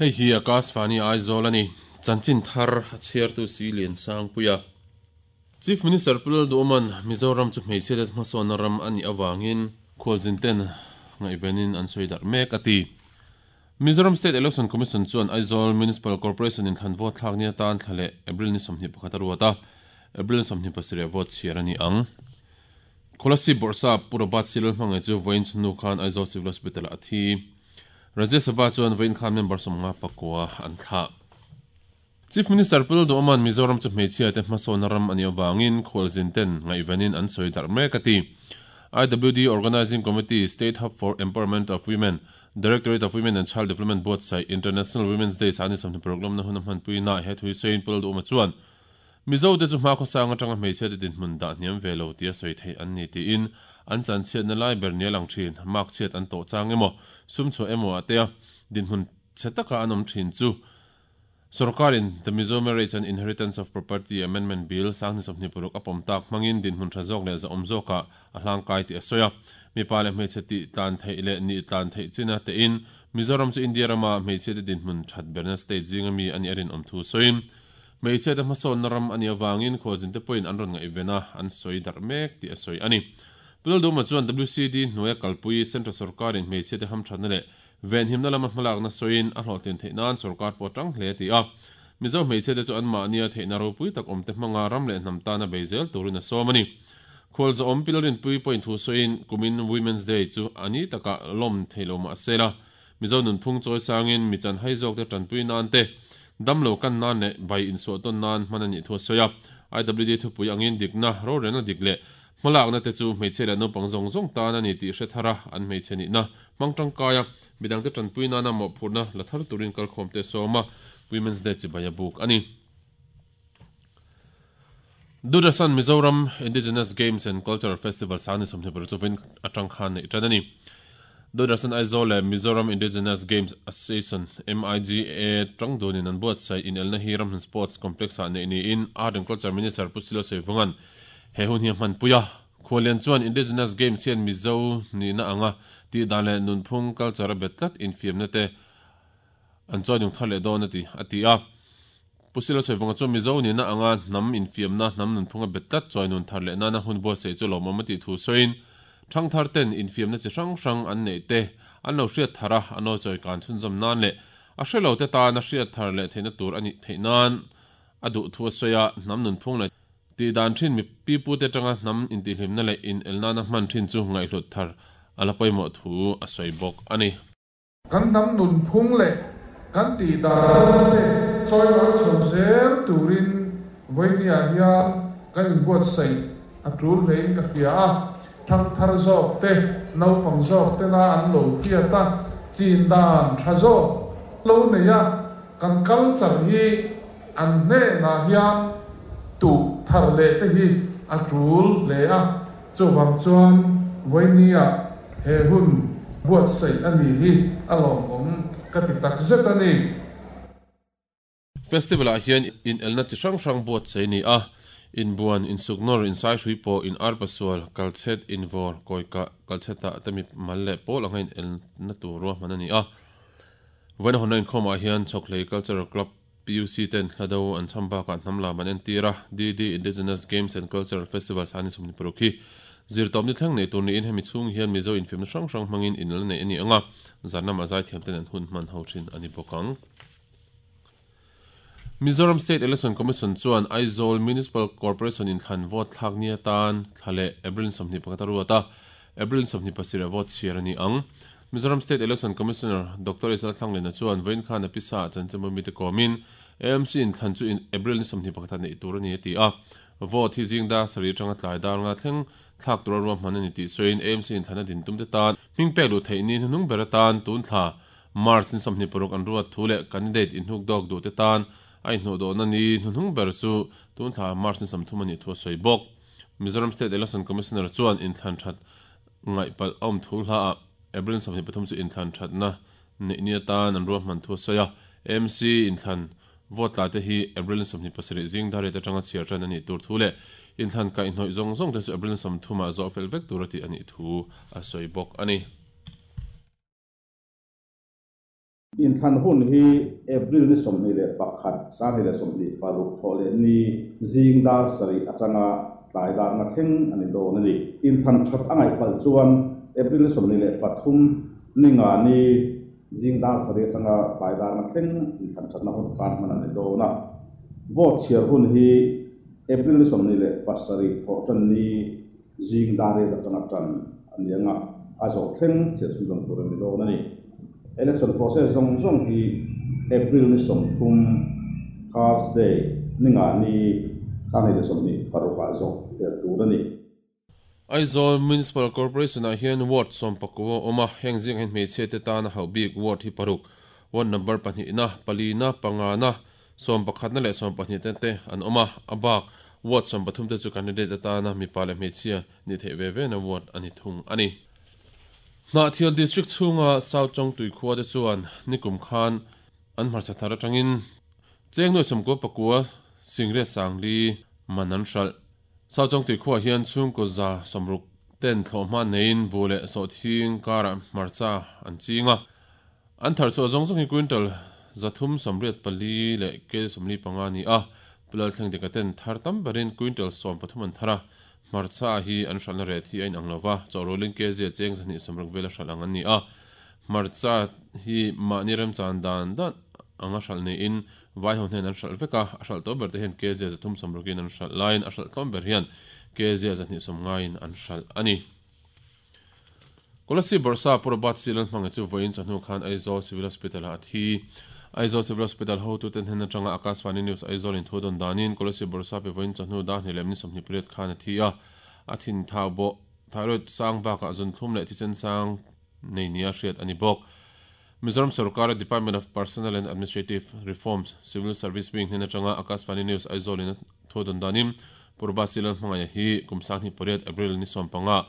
Hei hi Akashvani Aizawl a ni. Chanchin thar a chhiartu si Liansangpuia. Chief Minister Pu Lalduhawma'n Mizoram chu hmeichhiate hmasawnna ram a nih avangin khualzin ten ngaihvenin an sawi darh mek a ti. Mizoram State Election Commission chuan Aizawl Municipal Corporation in thlan vote thlak ni atan thla leh April ni 21 a ruat a, April 27 vote chhiar a ni ang. Kolasib Bawrhsap Pu Robert Silal hmangaih chu vawiin chhunnu khan Aizawl Civil Hospital-ah a thi. Rajya Sabha chuan vawiin khan member 59 an thlah. Chief Minister Pu Lalduhawma'n Mizoram chu hmeichhiate hmasawnna ram a nih avangin khualzin ten ngaihvenin an sawi darh mek a ti. IWD Organising Committee, State Hub for Empowerment of Women, Directorate of Women and Child Development buatsaih International Women's Day sani 26 lawmna hun a hmanpuina he thui sawiin Pu Lalduhawma chuan Mizo te chu hmakhawsang atanga hmeichhiate dinhmun dah hniam ve lo tia sawi theih an ni tiin an chanchhiatna lai ber nia lang thin, mark chhiat an tawh chang emaw, sum chhuah emaw ah tea dinhmun chhe taka an awm thin chu Sorkarin The Mizo Marriage and Inheritance of Property Amendment Bill 2026 a pawm tak hmangin dinhmun tha zawk leh zahawm zawkah a hlangkai tih a sawi a. Mipa leh hmeichhe tih tlan theih leh nih tlan theih china tein Mizoram chu India rama hmeichhiate dinhmun that berna state zinga mi a nih a rinawm thu sawiin Hmeichhiate hmasawnna ram a nih avangin khualzinte pawhin an rawn ngaihven a, an sawi darh mek tih a sawi a ni. Pu Lalduhma chuan WCD hnuaia kalpui Central sawrkarin hmeichhiate hamthatna leh venhimna lama hmalakna sawiin a hlawhtlin theih nan sawrkar pawh a tang hle a ti a. Mizo hmeichhiate chu anmahnia theihna ropui tak awmte hmanga ram leh hnam tana bei zel turin a sawm a ni. Khualzawm Pi Lalrinpuii pawhin thu sawiin kumin Women's Day chu a ni takah lawm thei lo mah se la, Mizo nunphung chawi sangin mi chanhai zawkte tanpui nan te, damlo kan nan leh bai insuah tawn nan hman a nih thu a sawi a. IWD thupui angin dikna, rorelna dik leh hmalakna te chu hmeichhia leh naupang zawng zawng tan a ni tih hre thar a, an hmeichhe nihna hmang tangkai a, midangte tanpui nana mawhphurhna la thar turin kalkhawmte a sawm a, Women's Day chibai a buk a ni. Doordarshan Mizoram Indigenous Games and Cultural Festival sang ni 26 chu vawiin atang khan neih tan a ni. Doordarshan Aizawl leh Mizoram Indigenous Games Association, MIGA, tang dunin an buatsaih inelna hi Ramhlun Sports Complex-ah neih niin Art and Culture Minister Pu Silo Saivunga'n he hun hi a hmanpui a. Khualian chuan Indigenous Games hian Mizo nihna anga tihdan leh nunphung culture a bet tlat infiamna te an chawi nung thar leh dawn a ti, a ti a. Pu Silo Sawivawnga chuan Mizo nihna anga hnam infiamna, hnam nunphunga bet tlat chawi nun thar leh nana hun buatsaih chu lawmawm a tih thu sawiin, thangthar ten infiamna chi hrang hrang an neih te an lo hriat thar a, a nawi chawi kan chhunzawm nan leh a hre lo te tana hriat thar leh theihna tur a nih theih nan a duh thu a sawi a, hnam nunphung leh tih dan thin mi pipute atanga hnam intihhlimna leh inel nana hman thin chu ngaihhlut thar a la pawimawh thu a sawi bawk a ni. Kan hnam nunphung leh kan tih dan te chawilar chho zel turin vawinia hian kan inbuatsaih a tul hlein ka hria a, thangthar zawk te, naupang zawk tena an lo hriat a, chin dan tha zawk lo nei a, kan culture hi an hnenah hian tuh thar leh te hi a tul hle a. Chuvang chuan vawinia he hun buatsaih a ni hi a lawmawm ka ti tak zet a ni. Festival-ah hian inelna chi hrang hrang buatsaih a ni a, inbuan, insuknawr, insaihrui pawh, inarpasual, kalchhet, invawr, kawikah, kalchhetah te mi mal leh pawl anga inelna tur ruahman a ni a. Vawiina hawnna inkhawmah hian Chhawkhlei Cultural Club, PUC ten hla do an chham bakah hnam lam an entir a, DD Indigenous Games and Cultural Festivals a ni 26 hi zirtawp ni thleng nei tur niin hemi chhung hian Mizo infiamna hrang hrang hmangin inla neih a ni ang a, zan lamah zaithiam ten an hun hman ho thin a ni bawk ang. Mizoram State Election Commission chuan Aizawl Municipal Corporation inthlan vote thlak ni atan thla leh April 21 a ruat a, April 27 ah vote chhiar a ni ang. Mizoram State Election Commissioner Doctor Isal Thlanglena chuan vawiin khan a pisa ah chanchinbu mite kawmin AMC inthlan chu April ni 21 ah neih tur a ni a ti a. Vote hi zing dar sarih atanga tlai dar nga thleng thlak tura ruahman a ni tih sawiin AMC inthlan a din tum te tan hming pek luh theih ni hnuhnung ber atan tun thla March ni 26 an ruat thu leh candidate inhnuk dawk duh te tan a inhnuhdawhna ni hnuhnung ber chu tun thla March ni 30 a nih thu a sawi bawk. Mizoram State Election Commissioner chuan inthlan that ngaihpalh a awm thu hla ah April 23 chu inthlan thatna neih ni atan an ruahman thu a sawi a, AMC inthlan vote tla te hi April 27 zing dar riat atanga chhiar tan a nih tur thu leh inthlan kaihhnawih zawng zawng te chu April 30 ah zawh fel vek tur a tih a nih thu a sawi bawk a ni. Inthlan hun hi April ni 21, 2026 Thawhlehni zing dar sarih atanga tlai dar nga thleng a ni dawn a ni. Inthlan that a ngaih palh chuan April ni 23, ni nga ni zing dar sarih atanga tlai dar nga thleng inthlan thatna hun tan hman a ni dawn a. Vote chhiar hun hi April ni 27, Thawhtanni zing dar riat atanga tan a ni ang a, a zawh thleng chhiar chhunzawm tur a ni dawn a ni. Election process zawng zawng hi April ni 30, Thursday, ni nga ni 2026 ah zawh fel tur a ni. Aizawl Municipal Corporation ah hian Ward 14 a awm a, heng zingah hian hmeichhia te tana hauh bik Ward hi paruk, Ward number pahnihna, palina, pangana, sawmpakhatna leh sawmpahnihna te an awm a, a bak Ward 13 te chu candidate atana mipa leh hmeichhia ni theih ve ve na Ward a ni thung a ni. Hnahthial District chhunga South Chawngtui khua te chuan nikum khan an hmarcha thar atangin cheng nuai sawmkua pakua singriat sangli man an hralh. South Chawngtui khuaah hian chhungkaw 160 ten thlawhhma neiin buh leh sawhthing karah hmarcha an ching a. An thar chhuah zawng zawng hi quintal 384 leh kg 45 a ni a. Pu Lalthleng Dika ten thar tam berin quintal 13 an thar a. Hmarcha hi an hralhna reh thi a inang lo va, chawhrualin kg a cheng 260 vel a hralh ang an ni a. Hmarcha hi mahni remchan dan dan anga hralh niin Vaiho hnen an hralh vek a, a hralh tawh ber te hian kg 360 in an hralh laiin a hralh tlawm ber hian kg 250 in an hralh a ni. Kolasib Bawrhsa Pu Robert C. Lalhmangaih chu vawiin chawhnu khan Aizawl Civil Hospital ah a thi. Aizawl Civil Hospital hotute hnen atanga Akashvani News Aizawl in thu dawn danin Kolasib Bawrhsa pe vawiin chawhnu dar hnih leh minute 28 khan a thi a, a thin thau bawh, thyroid, sang bakah zunthlum leh thisen sang nei nia hriat a ni bawk. Mizoram sorkara Department of Personnel and Administrative Reforms, Civil Service Wing hnen atanga Akashvani News Aizawl in a thu dawn danin Pu Robert C. Lalhmangaih hi kum 2008 April ni 15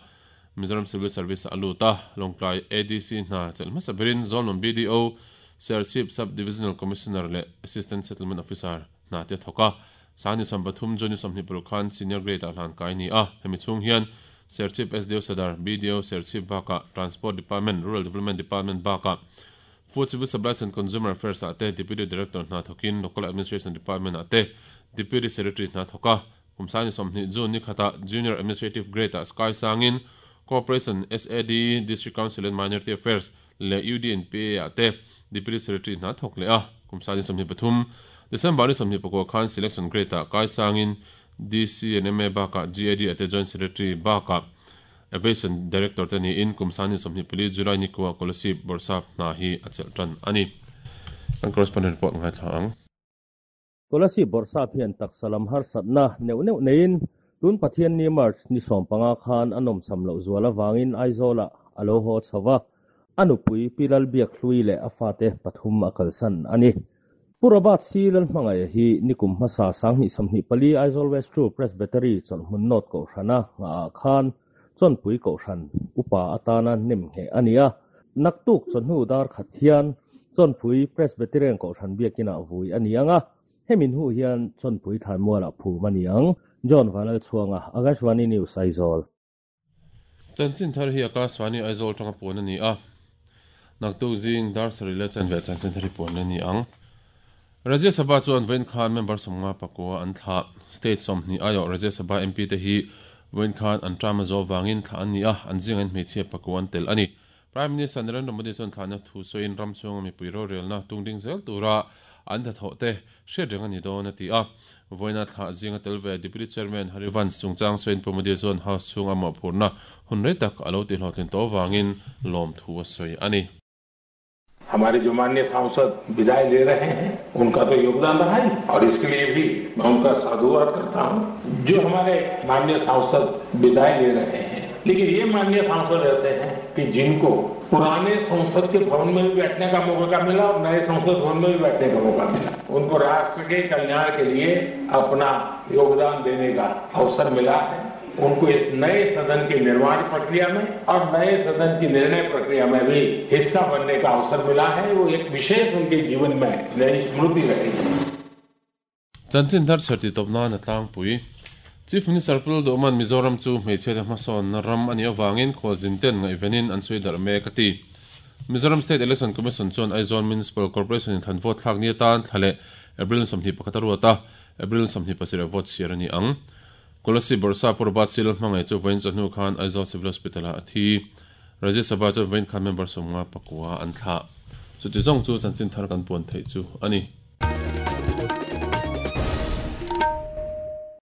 Mizoram Civil Service ah a lut a, Lawngtlai ADC hna chelh hmasa berin Zawlnawm BDO, Serchhip Sub Divisional Commissioner leh Assistant Settlement Officer hna te a thawk a. Sangni 30 June ni 26 khan Senior Grade ah hlan kai a ni a, hemi chhung hian Serchhip SDO Sadar, BDO Serchhip bakah Transport Department, Rural Development Department bakah Food Civil Supplies and Consumer Affairs ah te Deputy Director hna thawkin Local Administration Department ah te Deputy Secretary hna thawk a. Kum 20 June ni khatah Junior Administrative Grade ah Sky sangin Corporation, SAD, District Council and Minority Affairs leh UDNPA ah te Deputy Secretary hna thawk leh a. Kum 23 December ni 24 khan Selection Grade ah kai sangin DC and MA bakah GAD ah te Joint Secretary bakah Aviation Director te niin kum 24 July ni kuah Kolasib Bawrhsap hna hi a chelh tan a ni. Kan correspondent report ngaithla ang. Kolasib Bawrhsap hian taksa lam harsatna neuh neuh neiin tun Pathianni March ni 15 khan a nawmcham loh zual avangin Aizawlah a lo haw chho va, a nupui Pi Lalbiak Hlui leh a fate pathum a kalsan a ni. Pu Robert C. Lalhmangaih hi nikum hmasa 2024 Aizawl West True Presbytery chawlhhmun North Kohhrana nghahah khan Chawnpui Kohhran upa atana nem ngheh a ni a. Naktuk chawhnu dar khat hian Chawnpui Presbyterian Kohhran biakinah vui a ni ang a, hemi hnu hian Chawnpui Thlanmualah phum a ni ang. John Vanlalchhuanga, Akashvani News, Aizawl. Chanchin thar hi Akashvani Aizawl atanga puan a ni a, naktuk zing dar sarih leh chanve chanchin thar hi puan a ni ang. Rajya Sabha chuan vawiin khan member 51 an thlah. State 20 aiawh Rajya Sabha MP te hi vawiin khan an term a zawh vangin thlah an ni a, an zingah in hmeichhia pakua an tel a ni. Prime Minister Narendra Modi chuan thlahna thu sawiin ram chhunga mipui rorelna tungding zel tura an hnathawh te hriat reng a ni dawn a ti a. Vawiina thlah zinga tel ve Deputy Chairman Harivansh chungchang sawiin Pu Modi chuan House chhunga mawhphurhna hun rei tak a lo tihlawhtlin tawh avangin lawmthu a sawi a ni. हमारे जो माननीय सांसद विदाई ले रहे हैं उनका तो योगदान रहा ही और इसके लिए भी मैं उनका साधुवाद करता हूं। जो हमारे माननीय सांसद विदाई ले रहे हैं, लेकिन ये माननीय सांसद ऐसे हैं कि जिनको पुराने संसद के भवन में भी बैठने का मौका मिला और नए संसद भवन में भी बैठने का मौका मिला। उनको राष्ट्र के कल्याण के लिए अपना योगदान देने का अवसर मिला है। उनको इस नए सदन की निर्माण प्रक्रिया में और नए सदन की निर्णय प्रक्रिया में भी हिस्सा बनने का अवसर मिला है। वो एक विशेष उनके जीवन में नई स्मृति रहेगी। Chanchin thar chher tih tawp nan a tlangpui. Chief Minister Pu Lalduhman Mizoram chu hmeichhiate hmasawnna ram a nih avangin khualzin ten ngaihvenin an sawi darh mek a ti. Mizoram State Election Commission chuan Aizawl Municipal Corporation inthlan vote thlak ni atan thla leh April 21 a ruat a, April 27 ah vote chhiar a ni ang. Kolasib Bawrhsap Pu Robert Sil hmangaih chu vawiin chawhnu khan Aizawl Civil Hospital ah a thi. Rajya Sabha chuan vawiin khan member 59 an thlah. Chuti zawng chu chanchin thar kan puan theih chu a ni.